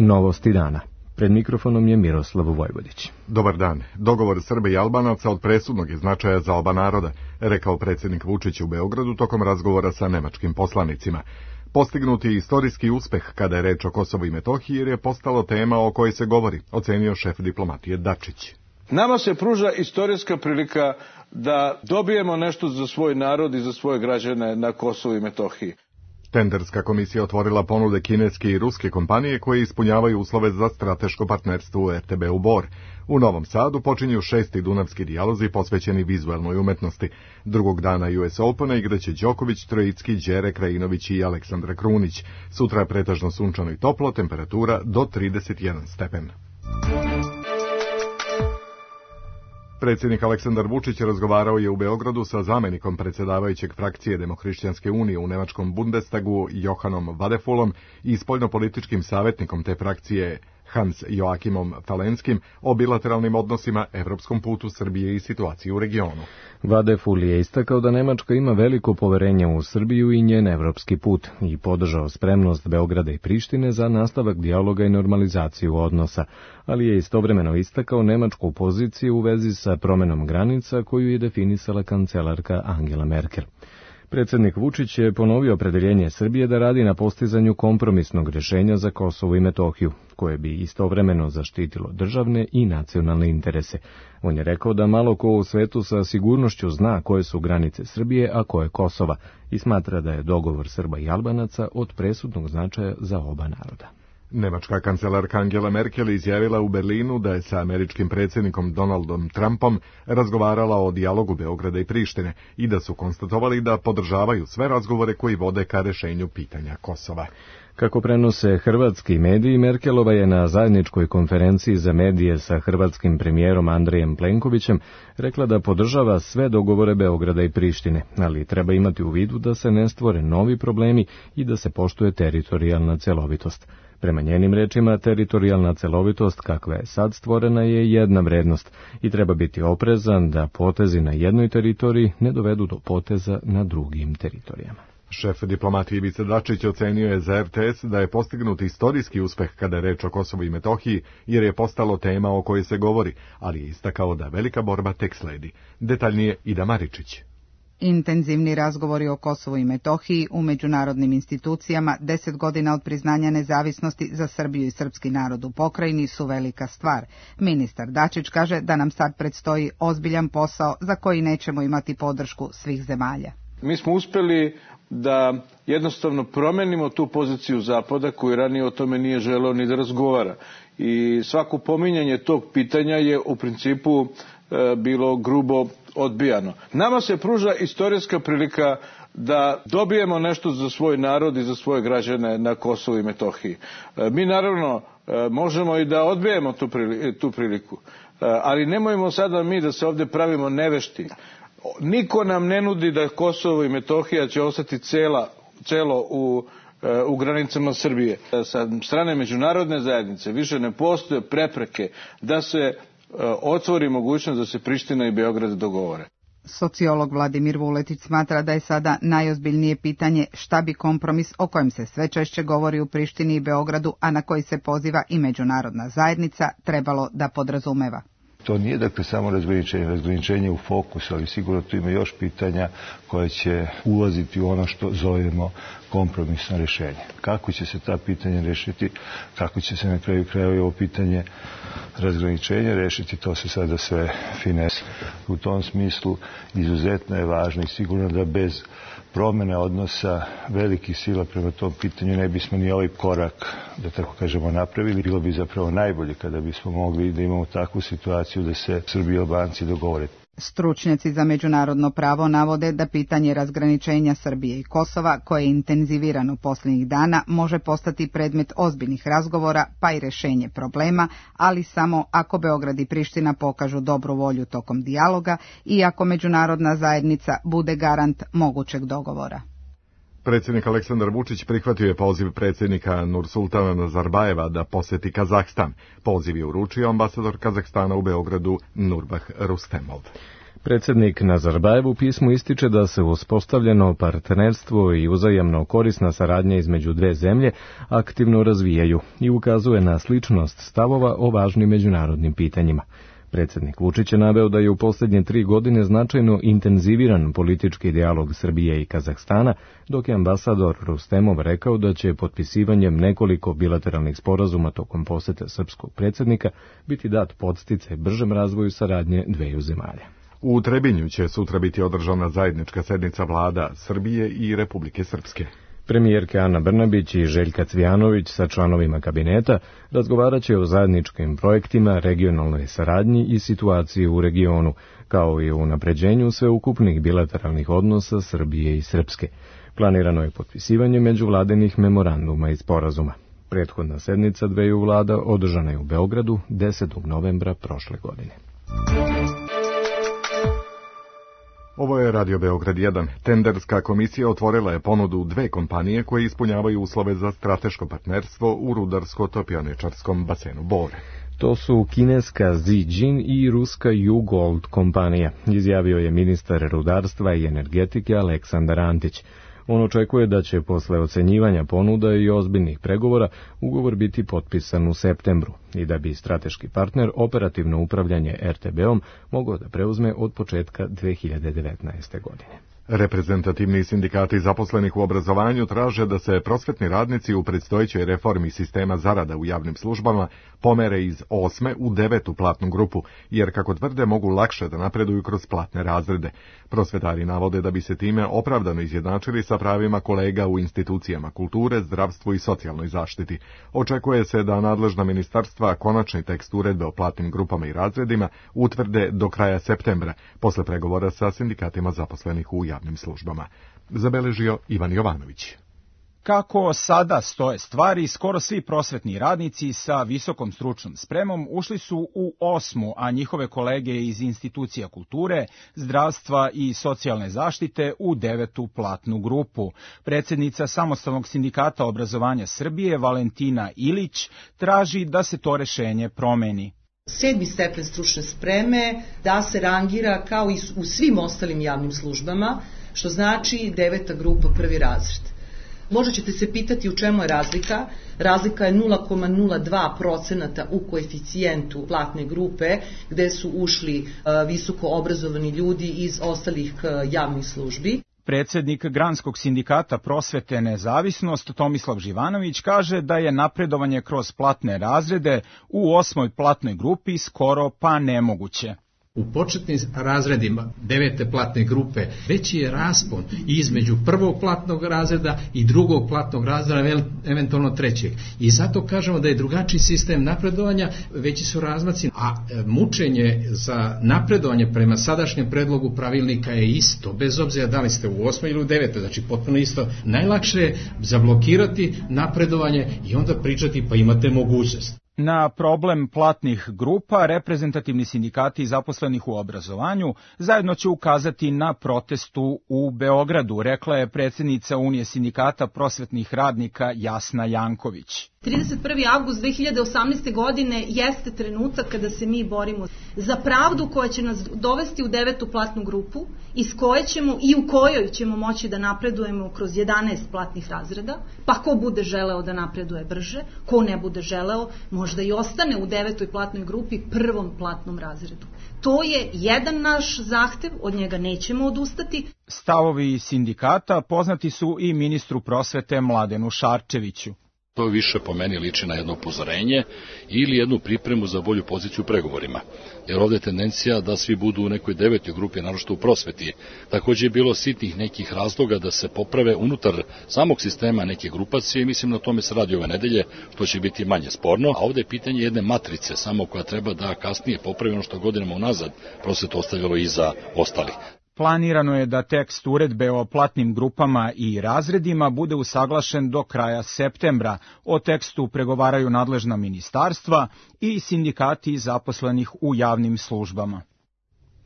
Novosti dana. Pred mikrofonom je Miroslav Vojvodić. Dobar dan. Dogovor Srba i Albanaca od presudnog je značaja za oba naroda, rekao predsjednik Vučić u Beogradu tokom razgovora sa nemačkim poslanicima. Postignuti je istorijski uspeh kada je reč o Kosovu i Metohiji jer je postalo tema o kojoj se govori, ocenio šef diplomatije Dačić. Nama se pruža istorijska prilika da dobijemo nešto za svoj narod i za svoje građane na Kosovu i Metohiji. Tenderska komisija otvorila ponude kineske i ruske kompanije koje ispunjavaju uslove za strateško partnerstvo u RTB-u Bor. U Novom Sadu počinju 6. dunavski dijalozi posvećeni vizualnoj umetnosti. Drugog dana US Opena igraće Đoković, Trojicki, Đere Krajinović i Aleksandra Krunić. Sutra je pretežno sunčano i toplo, temperatura do 31 stepen. Predsjednik Aleksandar Vučić razgovarao je u Beogradu sa zamjenikom predsjedavajućeg frakcije Demohrišćanske unije u nemačkom Bundestagu Johanom Vadefulom i spoljnopolitičkim savjetnikom te frakcije Hans Joachimom Falenskim o bilateralnim odnosima, evropskom putu Srbije i situaciji u regionu. Vadeful je istakao da Nemačka ima veliko poverenje u Srbiju i njen evropski put i podržao spremnost Beograda i Prištine za nastavak dijaloga i normalizaciju odnosa, ali je istovremeno istakao nemačku poziciju u vezi sa promenom granica koju je definisala kancelarka Angela Merkel. Predsjednik Vučić je ponovio opredeljenje Srbije da radi na postizanju kompromisnog rješenja za Kosovo i Metohiju, koje bi istovremeno zaštitilo državne i nacionalne interese. On je rekao da malo ko u svetu sa sigurnošću zna koje su granice Srbije, a koje Kosova, i smatra da je dogovor Srba i Albanaca od presudnog značaja za oba naroda. Nemačka kancelarka Angela Merkel izjavila u Berlinu da je sa američkim predsjednikom Donaldom Trumpom razgovarala o dijalogu Beograda i Prištine i da su konstatovali da podržavaju sve razgovore koji vode ka rješenju pitanja Kosova. Kako prenose hrvatski mediji, Merkelova je na zajedničkoj konferenciji za medije sa hrvatskim premijerom Andrejem Plenkovićem rekla da podržava sve dogovore Beograda i Prištine, ali treba imati u vidu da se ne stvore novi problemi i da se poštuje teritorijalna celovitost. Prema njenim rečima, teritorijalna celovitost kakva je sad stvorena je jedna vrednost i treba biti oprezan da potezi na jednoj teritoriji ne dovedu do poteza na drugim teritorijama. Šef diplomatije Ivica Dačić ocenio je za RTS da je postignut istorijski uspeh kada je reč o Kosovu i Metohiji, jer je postalo tema o kojoj se govori, ali je istakao da velika borba tek sledi. Detaljnije Ida Maričić. Intenzivni razgovori o Kosovu i Metohiji u međunarodnim institucijama 10 godina od priznanja nezavisnosti za Srbiju i srpski narod u pokrajini su velika stvar. Ministar Dačić kaže da nam sad predstoji ozbiljan posao za koji nećemo imati podršku svih zemalja. Mi smo uspjeli da jednostavno promenimo tu poziciju Zapada koji ranije o tome nije želeo ni da razgovara. I svako pominjanje tog pitanja je u principu bilo grubo odbijano. Nama se pruža istorijska prilika da dobijemo nešto za svoj narod i za svoje građane na Kosovu i Metohiji. Mi naravno možemo i da odbijemo tu priliku, ali nemojmo sada mi da se ovdje pravimo nevešti. Niko nam ne nudi da Kosovo i Metohija će ostati celo u granicama Srbije. Sa strane međunarodne zajednice više ne postoje prepreke da se otvori mogućnost da se Priština i Beograd dogovore. Sociolog Vladimir Vuletić smatra da je sada najozbiljnije pitanje šta bi kompromis o kojem se sve češće govori u Prištini i Beogradu, a na koji se poziva i međunarodna zajednica, trebalo da podrazumeva. To nije dakle samo razgraničenje u fokus, ali sigurno tu ima još pitanja koje će ulaziti u ono što zovemo kompromisno rješenje. Kako će se ta pitanja rešiti, kako će se na kraju krajeva ovo pitanje razgraničenja rešiti, to se sada sve finese. U tom smislu izuzetno je važno i sigurno da bez promjene odnosa velikih sila prema tom pitanju ne bismo ni ovaj korak, da tako kažemo, napravili. Bilo bi zapravo najbolje kada bismo mogli da imamo takvu situaciju da se Srbi i Albanci dogovore. Stručnjaci za međunarodno pravo navode da pitanje razgraničenja Srbije i Kosova, koje je intenzivirano posljednjih dana, može postati predmet ozbiljnih razgovora, pa i rješenje problema, ali samo ako Beograd i Priština pokažu dobru volju tokom dijaloga i ako međunarodna zajednica bude garant mogućeg dogovora. Predsjednik Aleksandar Vučić prihvatio je poziv predsjednika Nursultana Nazarbajeva da posjeti Kazahstan. Poziv je uručio ambasador Kazahstana u Beogradu Nurbah Rustemov. Predsjednik Nazarbajev u pismu ističe da se uspostavljeno partnerstvo i uzajamno korisna saradnja između dve zemlje aktivno razvijaju i ukazuje na sličnost stavova o važnim međunarodnim pitanjima. Predsjednik Vučić je naveo da je u posljednje 3 godine značajno intenziviran politički dijalog Srbije i Kazahstana, dok je ambasador Rustemov rekao da će potpisivanjem nekoliko bilateralnih sporazuma tokom posete srpskog predsjednika biti dat podsticaj bržem razvoju saradnje dveju zemalja. U Trebinju će sutra biti održana zajednička sednica vlada Srbije i Republike Srpske. Premijerke Ana Brnabić i Željka Cvijanović sa članovima kabineta razgovarat će o zajedničkim projektima, regionalnoj saradnji i situaciji u regionu, kao i o unapređenju sveukupnih bilateralnih odnosa Srbije i Srpske. Planirano je potpisivanje međuvladinih memoranduma i sporazuma. Prethodna sednica dveju vlada održana je u Beogradu 10. novembra prošle godine. Ovo je Radio Beograd 1. Tenderska komisija otvorila je ponudu 2 kompanije koje ispunjavaju uslove za strateško partnerstvo u rudarsko-topioničarskom basenu Bor. To su kineska Zijin i ruska U-Gold kompanija, izjavio je ministar rudarstva i energetike Aleksandar Antić. On očekuje da će posle ocenjivanja ponuda i ozbiljnih pregovora ugovor biti potpisan u septembru i da bi strateški partner operativno upravljanje RTB-om mogao da preuzme od početka 2019. godine. Reprezentativni sindikati zaposlenih u obrazovanju traže da se prosvetni radnici u predstojećoj reformi sistema zarada u javnim službama pomere iz 8. u 9. platnu grupu, jer kako tvrde mogu lakše da napreduju kroz platne razrede. Prosvetari navode da bi se time opravdano izjednačili sa pravima kolega u institucijama kulture, zdravstvu i socijalnoj zaštiti. Očekuje se da nadležna ministarstva konačni tekst uredbe o platnim grupama i razredima utvrde do kraja septembra, posle pregovora sa sindikatima zaposlenih u javnim službama. Zabeležio Ivan Jovanović. Kako sada stoje stvari, skoro svi prosvetni radnici sa visokom stručnom spremom ušli su u 8., a njihove kolege iz institucija kulture, zdravstva i socijalne zaštite u 9. platnu grupu. Predsjednica Samostalnog sindikata obrazovanja Srbije, Valentina Ilić, traži da se to rešenje promeni. 7. stepen stručne spreme da se rangira kao i u svim ostalim javnim službama, što znači 9. grupa, prvi razred. Možda ćete se pitati u čemu je razlika. Razlika je 0,02% u koeficijentu platne grupe gde su ušli visoko obrazovani ljudi iz ostalih javnih službi. Predsjednik Granskog sindikata prosvete Nezavisnost Tomislav Živanović kaže da je napredovanje kroz platne razrede u 8. platnoj grupi skoro pa nemoguće. U početnim razredima 9. platne grupe veći je raspon između 1. platnog razreda i 2. platnog razreda, eventualno 3. I zato kažemo da je drugačiji sistem napredovanja, veći su razmaci, a mučenje za napredovanje prema sadašnjem predlogu pravilnika je isto, bez obzira da li ste u 8. ili u 9. Znači potpuno isto. Najlakše je zablokirati napredovanje i onda pričati pa imate mogućnost. Na problem platnih grupa reprezentativni sindikati zaposlenih u obrazovanju zajedno će ukazati na protestu u Beogradu, rekla je predsjednica Unije sindikata prosvetnih radnika Jasna Janković. 31. avgust 2018. godine jeste trenutak kada se mi borimo za pravdu koja će nas dovesti u 9. platnu grupu, iz koje ćemo i u kojoj ćemo moći da napredujemo kroz 11 platnih razreda, pa ko bude želeo da napreduje brže, ko ne bude želeo možda i ostane u 9. platnoj grupi, 1. platnom razredu. To je jedan naš zahtev, od njega nećemo odustati. Stavovi sindikata poznati su i ministru prosvete Mladenu Šarčeviću. To više po meni liči na jedno upozorenje ili jednu pripremu za bolju poziciju u pregovorima. Jer ovdje je tendencija da svi budu u nekoj 9. grupi, naročito u prosveti. Također je bilo sitnih nekih razloga da se poprave unutar samog sistema neke grupacije i mislim na tome se radi ove nedelje, što će biti manje sporno. A ovdje je pitanje jedne matrice samo koja treba da kasnije popravi ono što godinama unazad prosvetu ostavljalo iza ostalih. Planirano je da tekst uredbe o platnim grupama i razredima bude usaglašen do kraja septembra. O tekstu pregovaraju nadležna ministarstva i sindikati zaposlenih u javnim službama.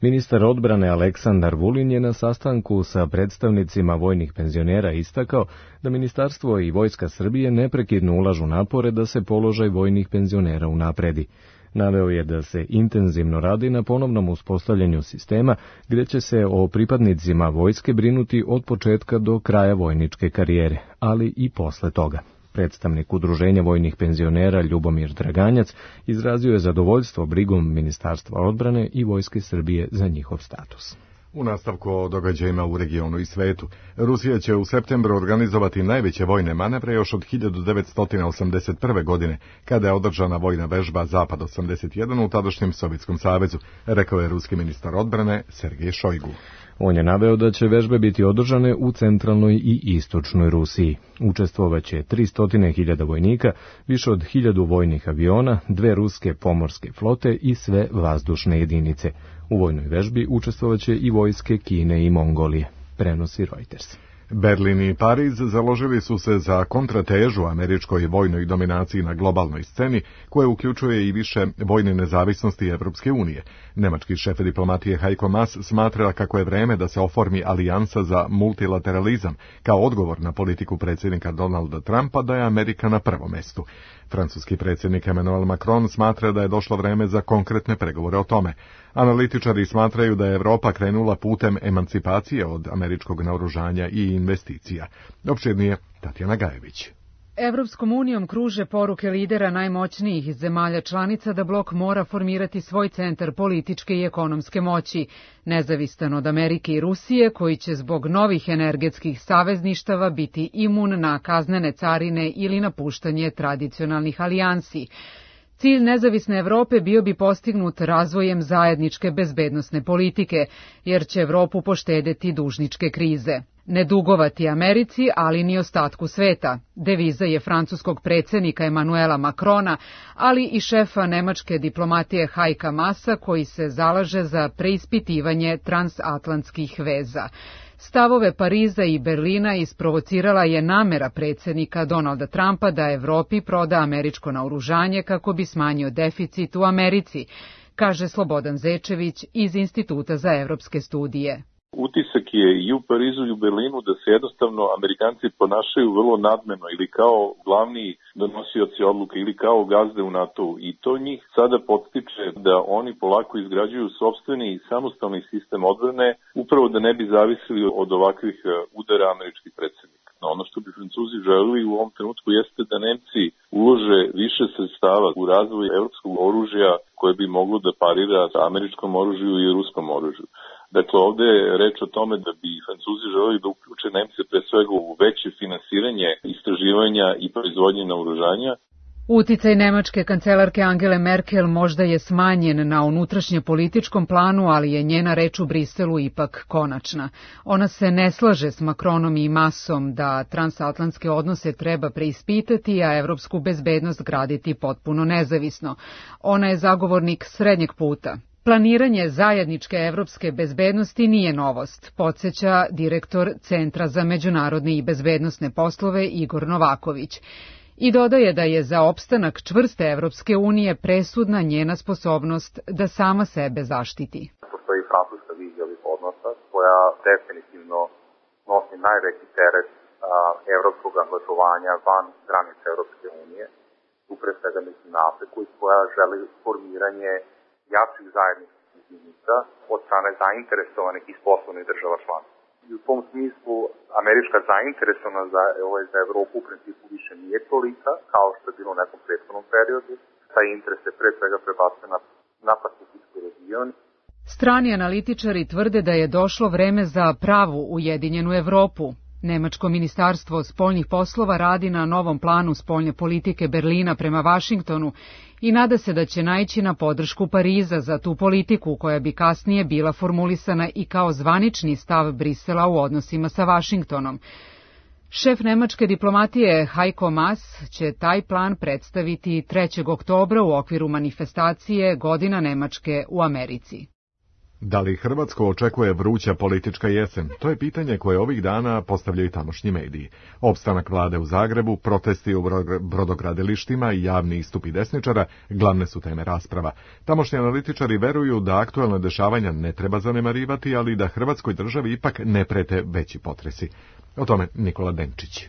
Ministar odbrane Aleksandar Vulin je na sastanku sa predstavnicima vojnih penzionera istakao da Ministarstvo i Vojska Srbije neprekidno ulažu napore da se položaj vojnih penzionera unapredi. Naveo je da se intenzivno radi na ponovnom uspostavljanju sistema, gdje će se o pripadnicima vojske brinuti od početka do kraja vojničke karijere, ali i posle toga. Predstavnik Udruženja vojnih penzionera Ljubomir Draganjac izrazio je zadovoljstvo brigom Ministarstva odbrane i Vojske Srbije za njihov status. U nastavku o događajima u regionu i svetu, Rusija će u septembru organizovati najveće vojne manevre još od 1981. godine, kada je održana vojna vežba Zapad 81 u tadašnjem Sovjetskom savezu, rekao je ruski ministar odbrane Sergej Šojgu. On je naveo da će vežbe biti održane u centralnoj i istočnoj Rusiji. Učestvovaće 300.000 vojnika, više od 1000 vojnih aviona, 2 ruske pomorske flote i sve vazdušne jedinice. U vojnoj vežbi učestvovaće i vojske Kine i Mongolije, prenosi Reuters. Berlin i Pariz založili su se za kontratežu američkoj vojnoj dominaciji na globalnoj sceni, koja uključuje i više vojne nezavisnosti Evropske unije. Nemački šef diplomatije Heiko Maas smatra kako je vreme da se oformi alijansa za multilateralizam, kao odgovor na politiku predsjednika Donalda Trumpa da je Amerika na prvom mestu. Francuski predsjednik Emmanuel Macron smatra da je došlo vreme za konkretne pregovore o tome. Analitičari smatraju da je Evropa krenula putem emancipacije od američkog naoružanja i investicija. Opširnije Tatjana Gajević. Evropskom unijom kruže poruke lidera najmoćnijih zemalja članica da blok mora formirati svoj centar političke i ekonomske moći, nezavistan od Amerike i Rusije, koji će zbog novih energetskih savezništava biti imun na kaznene carine ili napuštanje tradicionalnih alijansi. Cilj nezavisne Evrope bio bi postignut razvojem zajedničke bezbednosne politike, jer će Evropu poštedeti dužničke krize. Ne dugovati Americi, ali ni ostatku sveta. Deviza je francuskog predsjednika Emanuela Macrona, ali i šefa nemačke diplomatije Heika Maasa, koji se zalaže za preispitivanje transatlantskih veza. Stavove Pariza i Berlina isprovocirala je namera predsjednika Donalda Trumpa da Evropi proda američko naoružanje kako bi smanjio deficit u Americi, kaže Slobodan Zečević iz Instituta za evropske studije. Utisak je i u Parizu i u Berlinu da se jednostavno Amerikanci ponašaju vrlo nadmeno ili kao glavni donosioci odluke ili kao gazde u NATO-u i to njih sada podstiče da oni polako izgrađuju sopstveni samostalni sistem odbrane upravo da ne bi zavisili od ovakvih udara američkih predsjednika. No, ono što bi Francuzi želeli u ovom trenutku jeste da Nemci ulože više sredstava u razvoj evropskog oružja koje bi moglo da parira američkom oružju i ruskom oružju. Dakle, ovdje je reč o tome da bi Francuzi želeli da uključe Nemce pre svega u veće finansiranje istraživanja i proizvodnje naoružanja. Uticaj nemačke kancelarke Angele Merkel možda je smanjen na unutrašnje-političkom planu, ali je njena reč u Briselu ipak konačna. Ona se ne slaže s Macronom i Maasom da transatlantske odnose treba preispitati, a evropsku bezbednost graditi potpuno nezavisno. Ona je zagovornik srednjeg puta. Planiranje zajedničke evropske bezbednosti nije novost, podsjeća direktor Centra za međunarodne i bezbednosne poslove Igor Novaković. I dodaje da je za opstanak čvrste Evropske unije presudna njena sposobnost da sama sebe zaštiti. Postoji francuska vizija ovih odnosa koja definitivno nosi najveći teret evropskog angažovanja van granica Evropske unije, tu pre svega mislim na Afriku, i koja želi formiranje jačih zajedničkih jedinica od strane zainteresovanih iz poslovnih država članica. I u tom smislu američka zainteresovanost za Evropu u principu više nije tolika kao što je bilo u nekom prethodnom periodu. Taj interes se pre svega prebacuje na Pacifički region. Strani analitičari tvrde da je došlo vreme za pravu ujedinjenu Evropu. Nemačko ministarstvo spoljnih poslova radi na novom planu spoljne politike Berlina prema Vašingtonu i nada se da će naići na podršku Pariza za tu politiku koja bi kasnije bila formulisana i kao zvanični stav Brisela u odnosima sa Vašingtonom. Šef nemačke diplomatije Heiko Maas će taj plan predstaviti 3. oktobra u okviru manifestacije Godina Nemačke u Americi. Da li Hrvatsku očekuje vruća politička jesen? To je pitanje koje ovih dana postavljaju tamošnji mediji. Opstanak vlade u Zagrebu, protesti u brodogradilištima i javni istupi desničara glavne su teme rasprava. Tamošnji analitičari veruju da aktuelne dešavanja ne treba zanemarivati, ali da Hrvatskoj državi ipak ne prete veći potresi. O tome Nikola Denčić.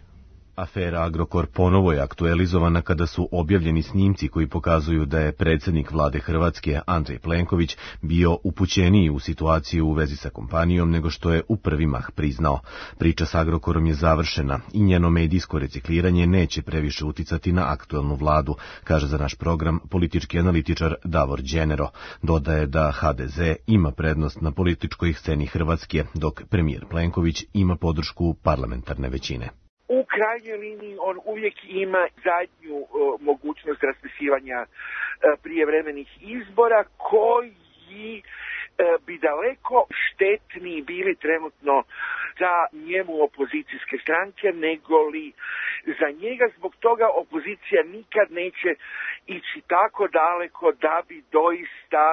Afera Agrokor ponovo je aktualizovana kada su objavljeni snimci koji pokazuju da je predsjednik vlade Hrvatske Andrej Plenković bio upućeniji u situaciju u vezi sa kompanijom nego što je u prvi mah priznao. Priča s Agrokorom je završena i njeno medijsko recikliranje neće previše uticati na aktuelnu vladu, kaže za naš program politički analitičar Davor Đenero. Dodaje da HDZ ima prednost na političkoj sceni Hrvatske, dok premijer Plenković ima podršku parlamentarne većine. U krajnjoj liniji on uvijek ima zadnju mogućnost raspisivanja prijevremenih izbora koji bi daleko štetniji bili trenutno za njemu opozicijske stranke nego li za njega. Zbog toga opozicija nikad neće ići tako daleko da bi doista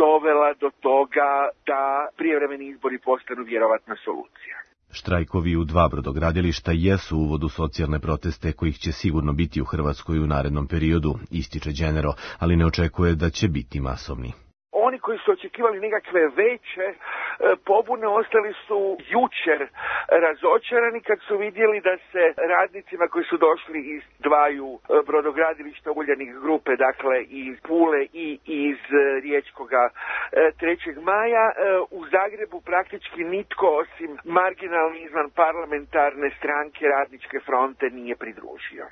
dovela do toga da prijevremeni izbori postanu vjerovatna solucija. Štrajkovi u 2 brodogradilišta jesu uvod u socijalne proteste kojih će sigurno biti u Hrvatskoj u narednom periodu, ističe Đenero, ali ne očekuje da će biti masovni. Oni koji su očekivali nekakve veće pobune ostali su jučer razočarani kad su vidjeli da se radnicima koji su došli iz 2 brodogradilišta Uljanik grupe, dakle iz Pule i iz Riječkoga 3. maja, u Zagrebu praktički nitko osim marginalne izvan parlamentarne stranke Radničke fronte nije pridružio.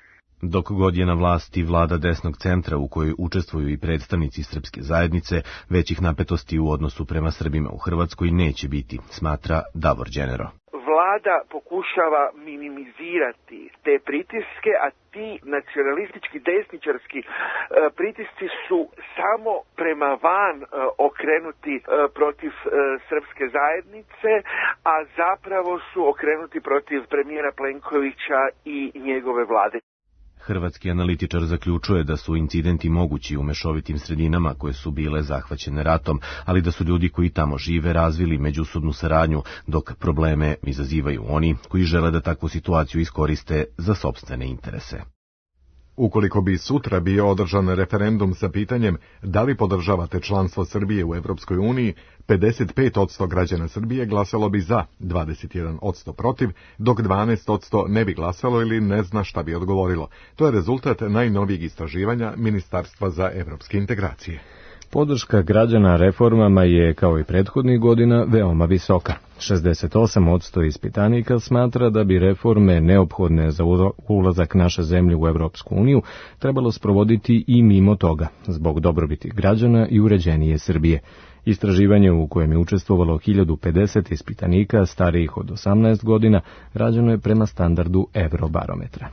Dok god je na vlasti vlada desnog centra u kojoj učestvuju i predstavnici srpske zajednice, većih napetosti u odnosu prema Srbima u Hrvatskoj neće biti, smatra Davor Đenero. Vlada pokušava minimizirati te pritiske, a ti nacionalistički desničarski pritisci su samo prema van okrenuti protiv srpske zajednice, a zapravo su okrenuti protiv premijera Plenkovića i njegove vlade. Hrvatski analitičar zaključuje da su incidenti mogući u mešovitim sredinama koje su bile zahvaćene ratom, ali da su ljudi koji tamo žive razvili međusobnu saradnju, dok probleme izazivaju oni koji žele da takvu situaciju iskoriste za sopstvene interese. Ukoliko bi sutra bio održan referendum sa pitanjem da li podržavate članstvo Srbije u Evropskoj uniji, 55% građana Srbije glasalo bi za, 21% protiv, dok 12% ne bi glasalo ili ne zna šta bi odgovorilo. To je rezultat najnovijeg istraživanja Ministarstva za evropske integracije. Podrška građana reformama je, kao i prethodnih godina, veoma visoka. 68% ispitanika smatra da bi reforme neophodne za ulazak naše zemlje u Evropsku uniju trebalo sprovoditi i mimo toga, zbog dobrobiti građana i uređenije Srbije. Istraživanje u kojem je učestvovalo 1050 ispitanika starijih od 18 godina rađeno je prema standardu Eurobarometra.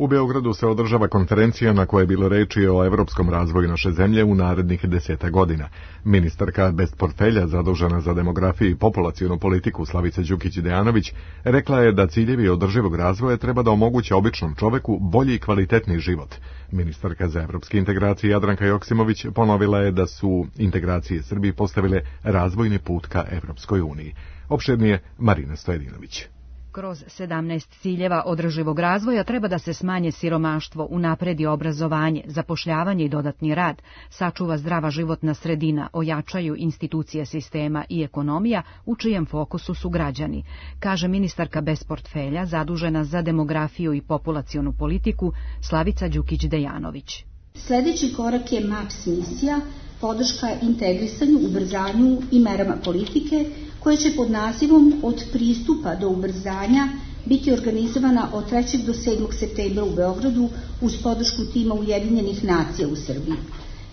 U Beogradu se održava konferencija na kojoj je bilo reči o evropskom razvoju naše zemlje u narednih 10 godina. Ministarka bez portfelja zadužena za demografiju i populacionu politiku Slavica Đukić-Dejanović rekla je da ciljevi održivog razvoja treba da omoguće običnom čoveku bolji i kvalitetni život. Ministarka za evropske integracije Jadranka Joksimović ponovila je da su integracije Srbije postavile razvojni put ka Evropskoj uniji. Opširnije Marina Stojedinović. Kroz 17 ciljeva održivog razvoja treba da se smanje siromaštvo, unapredi obrazovanje, zapošljavanje i dodatni rad, sačuva zdrava životna sredina, ojačaju institucije sistema i ekonomija u čijem fokusu su građani, kaže ministarka bez portfelja zadužena za demografiju i populacionu politiku Slavica Đukić-Dejanović. Sljedeći korak je MAPS misija, podrška integrisanju, ubrzanju i merama politike, koja će pod nazivom Od pristupa do ubrzanja biti organizovana od 3. do 7. septembra u Beogradu uz podršku tima Ujedinjenih nacija u Srbiji.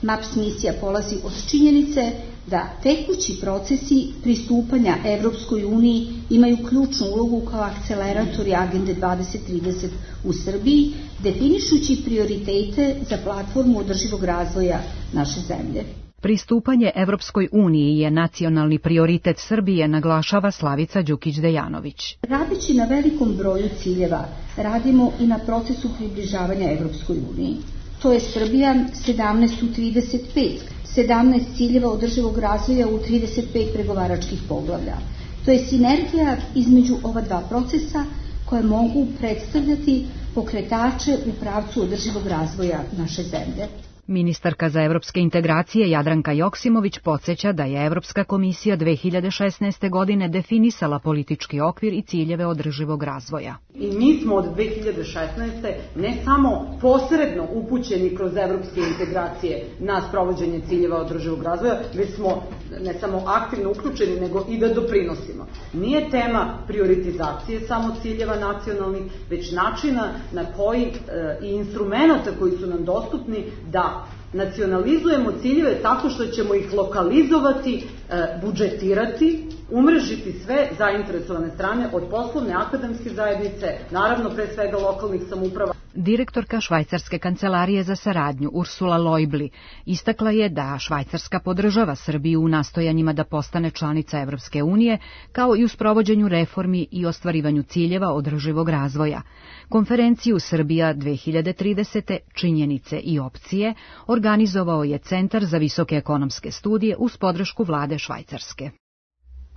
MAPS misija polazi od činjenice da tekući procesi pristupanja Evropskoj uniji imaju ključnu ulogu kao akceleratori Agende 2030 u Srbiji, definišući prioritete za platformu održivog razvoja naše zemlje. Pristupanje Evropskoj uniji je nacionalni prioritet Srbije, naglašava Slavica Đukić-Dejanović. Radeći na velikom broju ciljeva, radimo i na procesu približavanja Evropskoj uniji. To je Srbija 17 u 35, 17 ciljeva održivog razvoja u 35 pregovaračkih poglavlja. To je sinergija između ova dva procesa koje mogu predstavljati pokretače u pravcu održivog razvoja naše zemlje. Ministarka za evropske integracije Jadranka Joksimović podsjeća da je Evropska komisija 2016. godine definisala politički okvir i ciljeve održivog razvoja. I mi smo od 2016. ne samo posredno upućeni kroz evropske integracije na sprovođenje ciljeva održivog razvoja, već smo ne samo aktivno uključeni, nego i da doprinosimo. Nije tema prioritizacije samo ciljeva nacionalnih, već načina na koji i instrumenta koji su nam dostupni da nacionalizujemo ciljeve tako što ćemo ih lokalizovati, budžetirati, umrežiti sve zainteresovane strane od poslovne, akademske zajednice, naravno pre svega lokalnih samouprava. Direktorka Švajcarske kancelarije za saradnju Ursula Leubli istakla je da Švajcarska podržava Srbiju u nastojanjima da postane članica Evropske unije, kao i u sprovođenju reformi i ostvarivanju ciljeva održivog razvoja. Konferenciju Srbija 2030. činjenice i opcije organizovao je Centar za visoke ekonomske studije uz podršku vlade Švajcarske.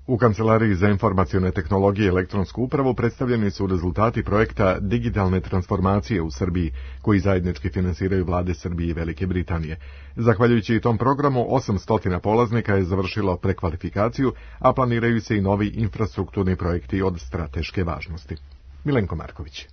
U Kancelariji za informacione tehnologije i elektronsku upravu predstavljeni su rezultati projekta digitalne transformacije u Srbiji, koji zajednički finansiraju vlade Srbije i Velike Britanije. Zahvaljujući tom programu, 800 polaznika je završilo prekvalifikaciju, a planiraju se i novi infrastrukturni projekti od strateške važnosti. Milenko Marković.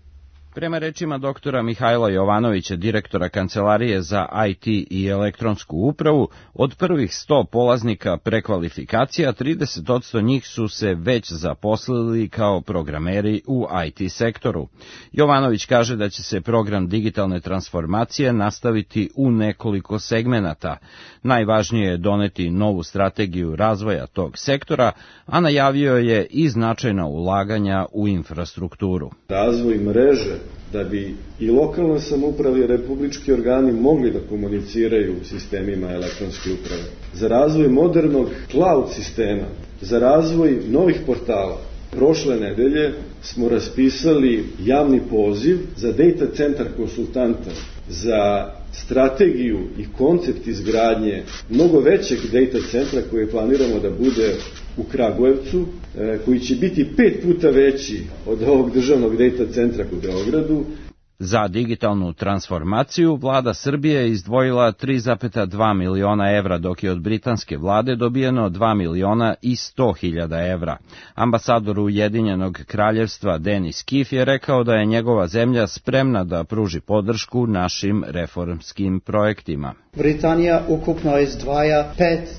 Prema rečima doktora Mihajla Jovanovića, direktora Kancelarije za IT i elektronsku upravu, od prvih 100 polaznika prekvalifikacija, 30% njih su se već zaposlili kao programeri u IT sektoru. Jovanović kaže da će se program digitalne transformacije nastaviti u nekoliko segmenata. Najvažnije je doneti novu strategiju razvoja tog sektora, a najavio je i značajna ulaganja u infrastrukturu. Razvoj mreže da bi i lokalna samouprava i republički organi mogli da komuniciraju u sistemima elektronske uprave, za razvoj modernog cloud sistema, za razvoj novih portala. Prošle nedelje smo raspisali javni poziv za data centar konsultanta, za strategiju i koncept izgradnje mnogo većeg data centra koje planiramo da bude u Kragujevcu, koji će biti 5 puta veći od ovog državnog data centra u Beogradu. Za digitalnu transformaciju vlada Srbije je izdvojila 3,2 miliona evra, dok je od britanske vlade dobijeno 2 miliona i 100.000 evra. Ambasador Ujedinjenog kraljevstva Denis Kif je rekao da je njegova zemlja spremna da pruži podršku našim reformskim projektima. Britanija ukupno izdvaja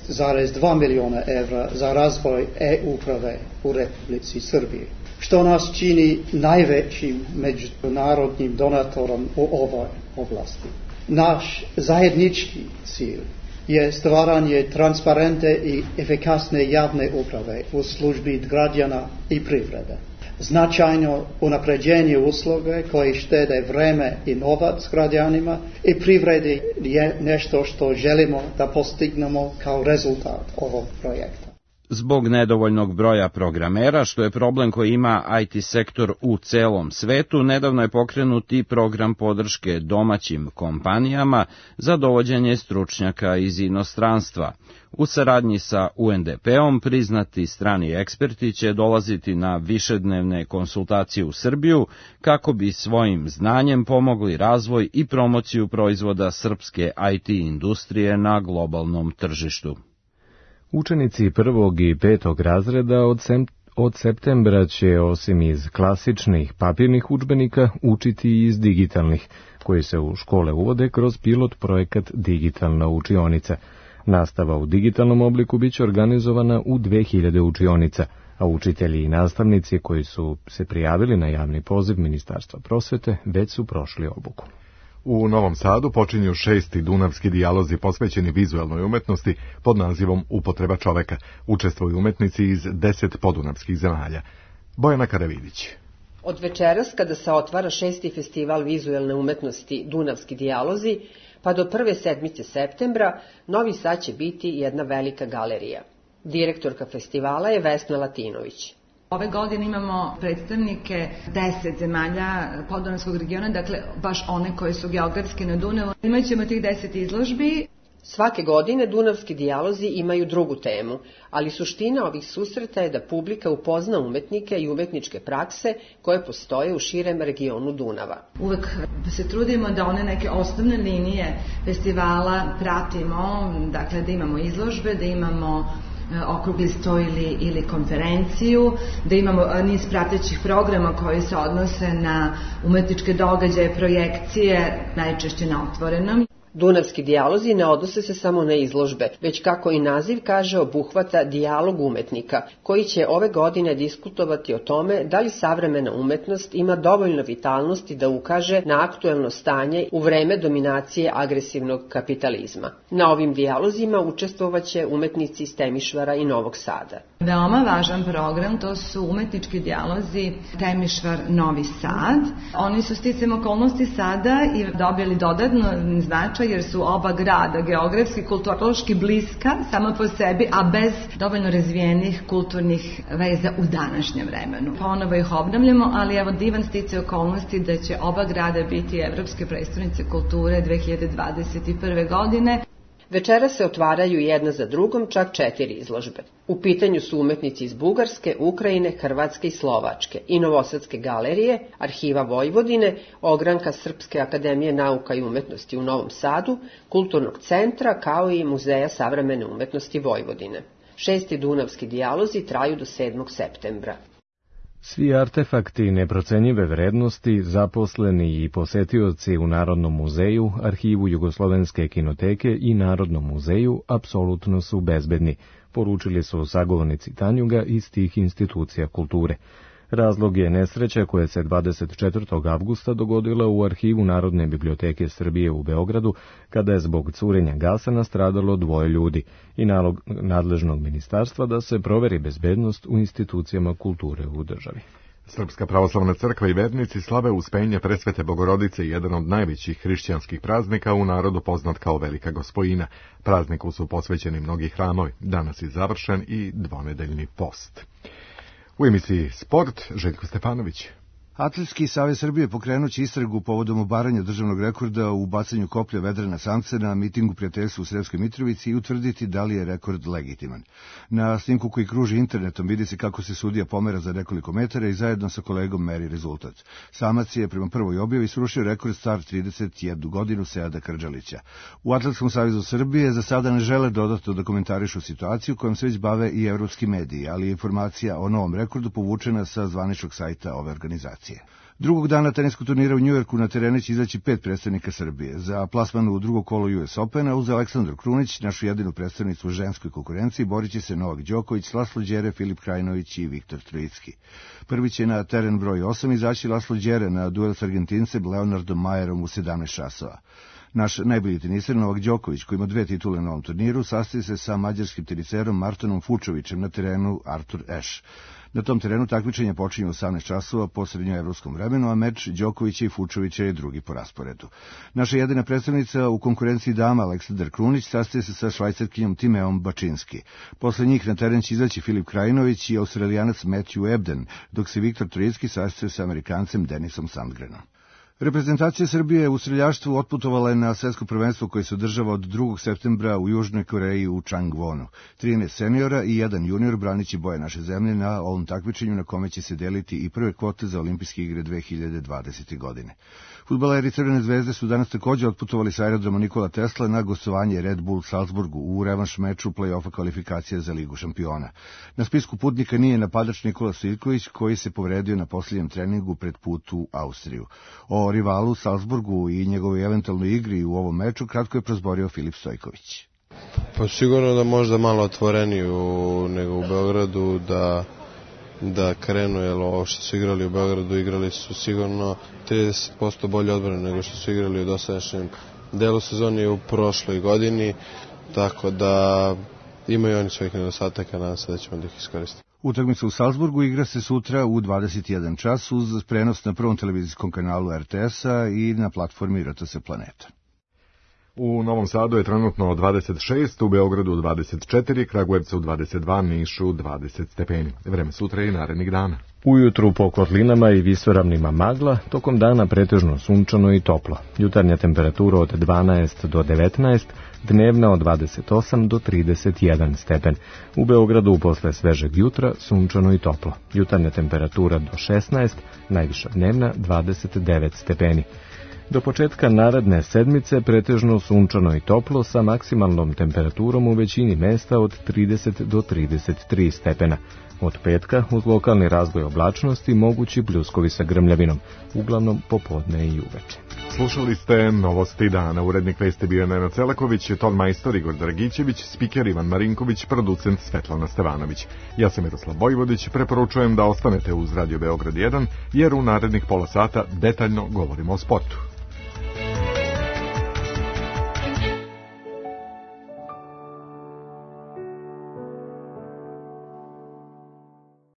5,2 miliona evra za razvoj e-uprave u Republici Srbiji, što nas čini najvećim međunarodnim donatorom u ovoj oblasti. Naš zajednički cilj je stvaranje transparentne i efikasne javne uprave u službi građana i privrede. Značajno unapređenje usluge koje štede vreme i novac građanima i privredi je nešto što želimo da postignemo kao rezultat ovog projekta. Zbog nedovoljnog broja programera, što je problem koji ima IT sektor u celom svetu, nedavno je pokrenut i program podrške domaćim kompanijama za dovođenje stručnjaka iz inostranstva. U saradnji sa UNDP-om priznati strani eksperti će dolaziti na višednevne konsultacije u Srbiju kako bi svojim znanjem pomogli razvoj i promociju proizvoda srpske IT industrije na globalnom tržištu. Učenici 1. i 5. razreda od septembra će, osim iz klasičnih papirnih udžbenika, učiti i iz digitalnih, koji se u škole uvode kroz pilot projekat Digitalna učionica. Nastava u digitalnom obliku biće organizovana u 2000 učionica, a učitelji i nastavnici koji su se prijavili na javni poziv Ministarstva prosvete već su prošli obuku. U Novom Sadu počinju 6. dunavski dijalozi posvećeni vizuelnoj umetnosti pod nazivom Upotreba čoveka. Učestvuju umetnici iz 10 podunavskih zemalja. Bojana Karavidić. Od večeras, kada se otvara 6. festival vizuelne umetnosti Dunavski dijalozi, pa do prve sedmice septembra, Novi Sad će biti jedna velika galerija. Direktorka festivala je Vesna Latinović. Ove godine imamo predstavnike 10 zemalja podunavskog regiona, dakle baš one koje su geografski na Dunavu. Imaćemo tih 10 izložbi. Svake godine Dunavski dijalozi imaju drugu temu, ali suština ovih susreta je da publika upozna umetnike i umetničke prakse koje postoje u širem regionu Dunava. Uvek se trudimo da one neke osnovne linije festivala pratimo, dakle da imamo izložbe, da imamo okrugli sto ili konferenciju, da imamo niz pratećih programa koji se odnose na umetničke događaje, projekcije, najčešće na otvorenom. Dunavski dijalozi ne odnose se samo na izložbe, već kako i naziv kaže obuhvata dijalog umetnika, koji će ove godine diskutovati o tome da li savremena umetnost ima dovoljno vitalnosti da ukaže na aktuelno stanje u vreme dominacije agresivnog kapitalizma. Na ovim dijalozima učestvovaće umetnici iz Temišvara i Novog Sada. Veoma važan program, to su umetnički dijalozi Temišvar Novi Sad. Oni su sticajem okolnosti sada i dobili dodatno značaj jer su oba grada geografski, kulturološki bliska sama po sebi, a bez dovoljno razvijenih kulturnih veza u današnjem vremenu. Ponovo ih obnavljamo, ali evo divan sticaj okolnosti da će oba grada biti evropske prestonice kulture 2021. godine. Večera se otvaraju jedna za drugom čak 4 izložbe. U pitanju su umetnici iz Bugarske, Ukrajine, Hrvatske i Slovačke i Novosadske galerije, Arhiva Vojvodine, Ogranka Srpske akademije nauka i umetnosti u Novom Sadu, Kulturnog centra kao i Muzeja savremene umetnosti Vojvodine. 6. Dunavski dijalozi traju do 7. septembra. Svi artefakti neprocenjive vrednosti, zaposleni i posetioci u Narodnom muzeju, Arhivu Jugoslovenske kinoteke i Narodnom muzeju apsolutno su bezbedni, poručili su sagovornici Tanjuga iz tih institucija kulture. Razlog je nesreća koja se 24. avgusta dogodila u Arhivu Narodne biblioteke Srbije u Beogradu, kada je zbog curenja gasa nastradalo 2 ljudi i nalog nadležnog ministarstva da se proveri bezbednost u institucijama kulture u državi. Srpska pravoslavna crkva i vernici slave Uspenje Presvete Bogorodice, jedan od najvećih hrišćanskih praznika u narodu poznat kao Velika Gospojina. Prazniku su posvećeni mnogi hramovi. Danas je završen i dvonedeljni post. U emisiji Sport, Željko Stefanović. Atletski savez Srbije pokrenuće istragu povodom obaranja državnog rekorda u bacanju koplja Vedrana Samca na mitingu prijateljstva u Sremskoj Mitrovici i utvrditi da li je rekord legitiman. Na snimku koji kruži internetom vidi se kako se sudija pomera za nekoliko metara i zajedno sa kolegom meri rezultat. Samac je prema prvoj objavi srušio rekord star 31 godinu Seada Krđalića. U Atletskom savezu Srbije za sada ne žele dodatno da komentarišu situaciju kojom se već bave i evropski mediji, ali je informacija o novom rekordu povučena sa zvaničnog sajta ove organizacije. Drugog dana teniskog turnira u Njujorku na terenu će izaći 5 predstavnika Srbije. Za plasman u drugo kolo US Opena uz Aleksandru Krunić, našu jedinu predstavnicu u ženskoj konkurenciji, borit će se Novak Đoković, Laslo Đere, Filip Krajinović i Viktor Trojicki. Prvi će na teren broj 8 izaći Laslo Đere na duel s Argentincem Leonardom Majerom u 17 časova. Naš najbolji teniser Novak Đoković, koji ima 2 titule na ovom turniru, sastaje se sa mađarskim teniserom Martonom Fučovićem na terenu Artur Ashe. Na tom terenu takmičenje počinje u 18 časova po srednjoevropskom vremenu, a meč Đokovića i Fučovića je drugi po rasporedu. Naša jedina predstavnica u konkurenciji dama Aleksandar Krunić sastaje se sa švajcarkinjom Timeom Bačinski. Posle njih na teren će izaći Filip Krajinović i Australijanac Matthew Ebden, dok se Viktor Trojicki sastaje sa Amerikancem Denisom Sandgrenom. Reprezentacija Srbije u streljaštvu otputovala je na svetsko prvenstvo koje se održava od 2. septembra u Južnoj Koreji u Changwonu. 13 seniora i 1 junior braniće boje naše zemlje na ovom takmičenju na kome će se deliti i prve kvote za olimpijske igre 2020. godine. Fudbaleri Crvene zvezde su danas također otputovali sa aerodroma Nikola Tesla na gostovanje Red Bull Salzburgu u revanš meču play-offa kvalifikacija za Ligu šampiona. Na spisku putnika nije napadač Nikola Stojković, koji se povredio na posljednjem treningu pred put u Austriju. O rivalu Salzburgu i njegovoj eventualnoj igri u ovom meču kratko je prozborio Filip Stojković. Pa sigurno da možda malo otvoreniju nego u Beogradu, da krenu, jer ovo što su igrali u Beogradu, igrali su sigurno 30% bolje odbrane nego što su igrali u dosadašnjem delu sezoni u prošloj godini, tako da imaju oni svojih nedostataka, nadam se da ćemo da ih iskoristiti. Utakmica u Salzburgu igra se sutra u 21 čas uz prenos na prvom televizijskom kanalu RTS-a i na platformi RTS Planeta. U Novom Sadu je trenutno 26, u Beogradu 24, Kragujevcu 22, Nišu 20 stepeni. Vreme sutra i narednih dana. Ujutru po kotlinama i visoravnima magla, tokom dana pretežno sunčano i toplo. Jutarnja temperatura od 12 do 19, dnevna od 28 do 31 stepen. U Beogradu posle svežeg jutra sunčano i toplo. Jutarnja temperatura do 16, najviša dnevna 29 stepeni. Do početka naredne sedmice pretežno sunčano i toplo sa maksimalnom temperaturom u većini mesta od 30 do 33 stepena. Od petka uz lokalni razvoj oblačnosti mogući pljuskovi sa grmljavinom, uglavnom popodne i uveče. Slušali ste Novosti dana. Urednik vesti bio Nenad Celaković, ton majstor Igor Dragićević, spiker Ivan Marinković, producent Svetlana Stevanović. Ja sam Miroslav Vojvodić, preporučujem da ostanete uz Radio Beograd 1, jer u narednih pola sata detaljno govorimo o sportu.